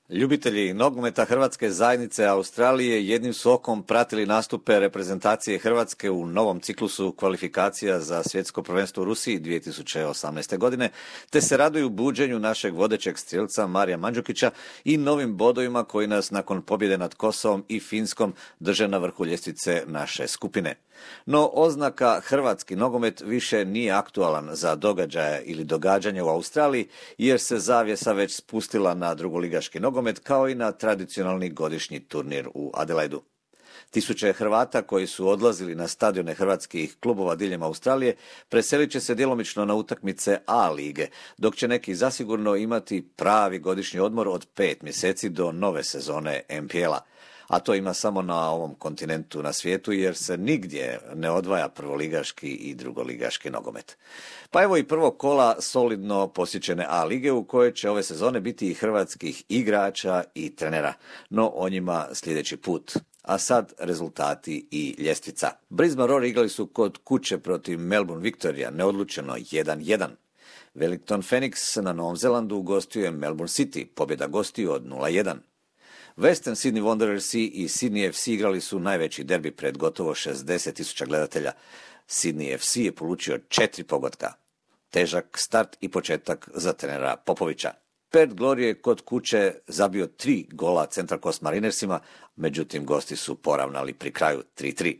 Ljubitelji nogometa Hrvatske zajednice Australije jednim su okom pratili nastupe reprezentacije Hrvatske u novom ciklusu kvalifikacija za svjetsko prvenstvo u Rusiji 2018. godine, te se raduju buđenju našeg vodećeg strijelca Marija Mandžukića i novim bodovima koji nas nakon pobjede nad Kosovom i Finskom drže na vrhu ljestvice naše skupine. No oznaka hrvatski nogomet više nije aktualan za događaje ili događanje u Australiji, jer se zavjesa već spustila na drugoligaški nogomet kao i na tradicionalni godišnji turnir u Adelaidu. Tisuće Hrvata koji su odlazili na stadione hrvatskih klubova diljem Australije preselit će se djelomično na utakmice A lige, dok će neki zasigurno imati pravi godišnji odmor od 5 mjeseci do nove sezone NPL-a. A to ima samo na ovom kontinentu na svijetu, jer se nigdje ne odvaja prvoligaški i drugoligaški nogomet. Pa evo i prvog kola solidno posjećene A lige, u kojoj će ove sezone biti i hrvatskih igrača i trenera, no o njima sljedeći put. A sad rezultati i ljestvica. Brisbane Roar igrali su kod kuće protiv Melbourne Victoria, neodlučeno 1-1. Wellington Phoenix na Novom Zelandu gostuje Melbourne City, pobjeda gostiju od 0-1. Western Sydney Wanderersi i Sydney FC igrali su najveći derbi pred gotovo 60.000 gledatelja. Sydney FC je polučio 4 pogotka. Težak start i početak za trenera Popovića. Perth Glory je kod kuće zabio 3 gola Central Coast Marinersima, međutim gosti su poravnali pri kraju 3-3.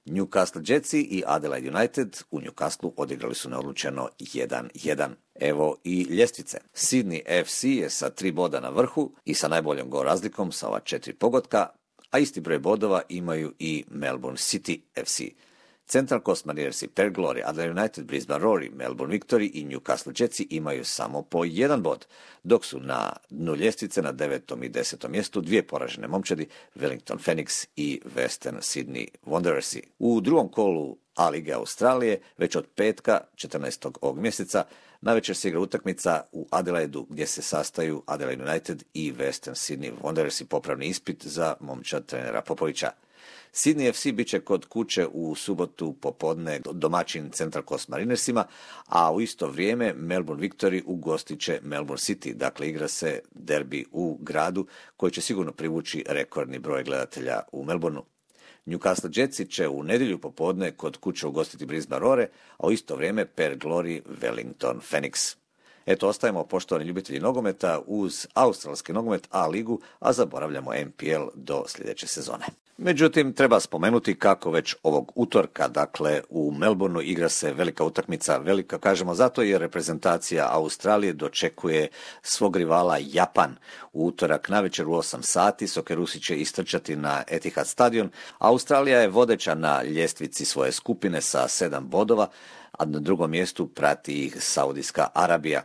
Newcastle Jetsi i Adelaide United u Newcastleu odigrali su neodlučeno 1-1. Evo i ljestvice. Sydney FC je sa 3 boda na vrhu i sa najboljom gol razlikom sa ova 4 pogotka, a isti broj bodova imaju i Melbourne City FC. Central Coast Mariners i Perth Glory, Adelaide United, Brisbane Roar, Melbourne Victory i Newcastle Jetsi imaju samo po 1 bod, dok su na dnu ljestvice na 9. i 10. mjestu 2 poražene momčadi, Wellington Phoenix i Western Sydney Wanderersi. U drugom kolu A lige Australije, već od petka, 14. ovog mjeseca, navečer se igra utakmica u Adelaidu gdje se sastaju Adelaide United i Western Sydney Wanderersi, popravni ispit za momčad trenera Popovića. Sydney FC bit će kod kuće u subotu popodne domaćin Central Coast Marinersima, a u isto vrijeme Melbourne Victory ugostit će Melbourne City. Dakle, igra se derbi u gradu koji će sigurno privući rekordni broj gledatelja u Melbourneu. Newcastle Jetsi će u nedjelju popodne kod kuće ugostiti Brisbane Roar, a u isto vrijeme Perth Glory Wellington Phoenix. Eto, ostajemo poštovani ljubitelji nogometa uz australski nogomet A ligu, a zaboravljamo NPL do sljedeće sezone. Međutim, treba spomenuti kako već ovog utorka, dakle u Melbourneu, igra se velika utakmica. Velika kažemo zato jer reprezentacija Australije dočekuje svog rivala Japan. U utorak navečer u 8 sati Sokerusi će istrčati na Etihad stadion. Australija je vodeća na ljestvici svoje skupine sa 7 bodova, a na drugom mjestu prati ih Saudijska Arabija.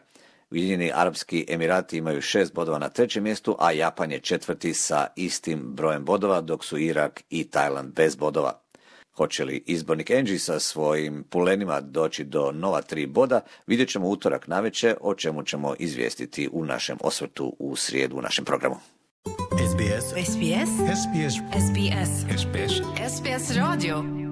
Ujedinjeni Arapski Emirati imaju 6 bodova na 3. mjestu, a Japan je 4. sa istim brojem bodova, dok su Irak i Tajland bez bodova. Hoće li izbornik Angie sa svojim pulenima doći do nova 3 boda, vidjet ćemo utorak navečer, o čemu ćemo izvijestiti u našem osvrtu u srijedu u našem programu. SBS. SBS. SBS. SBS. SBS. SBS Radio.